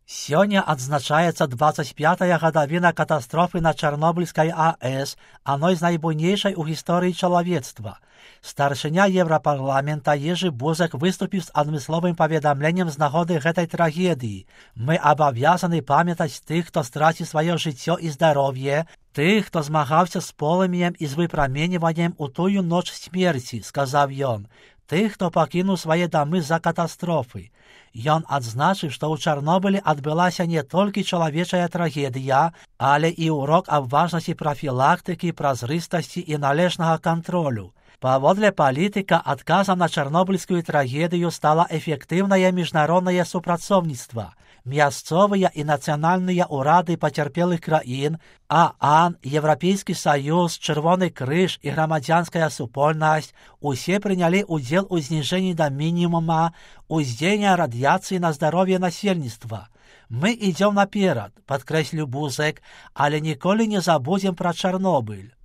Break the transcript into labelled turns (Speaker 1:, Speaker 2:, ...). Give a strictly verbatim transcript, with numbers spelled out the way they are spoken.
Speaker 1: Сёння адзначаецца дваццаць пятая гадавіна катастрофы на Чарнобыльскай АЭС, адной з найбуйнейшай у гісторыі чалавецтва. Старшыня Еўрапарламента Ежы Бузек выступіў з адмысловым паведамленнем з нагоды гэтай трагедыі. Мы абавязаны памятаць тых, хто страціў сваё жыццё і здароўе, тых, хто змагаўся з полымем і з выпраменьваннем у тую ноч смерці, сказаў ён, тых, хто пакінуў свае дамы з-за катастрофы. Ён адзначыў, што ў Чарнобылі адбылася не толькі чалавечая трагедыя, але і урок аб важнасці прафілактыкі, празрыстасці і належнага кантролю. Паводле палітыка, адказам на чарнобыльскую трагедыю стала эфектыўнае міжнароднае супрацоўніцтва. Мясцовыя і нацыянальныя ўрады пацярпелых краін, ААН, Еўрапейскі саюз, Чырвоны крыж і грамадзянская супольнасць усе прынялі ўдзел у зніжэнні да мінімума уздзеяння радыяцыі на здароўе насельніцтва. Мы ідзём наперад, падкрэсліў Бузек, але ніколі не забудзем пра Чарнобыль.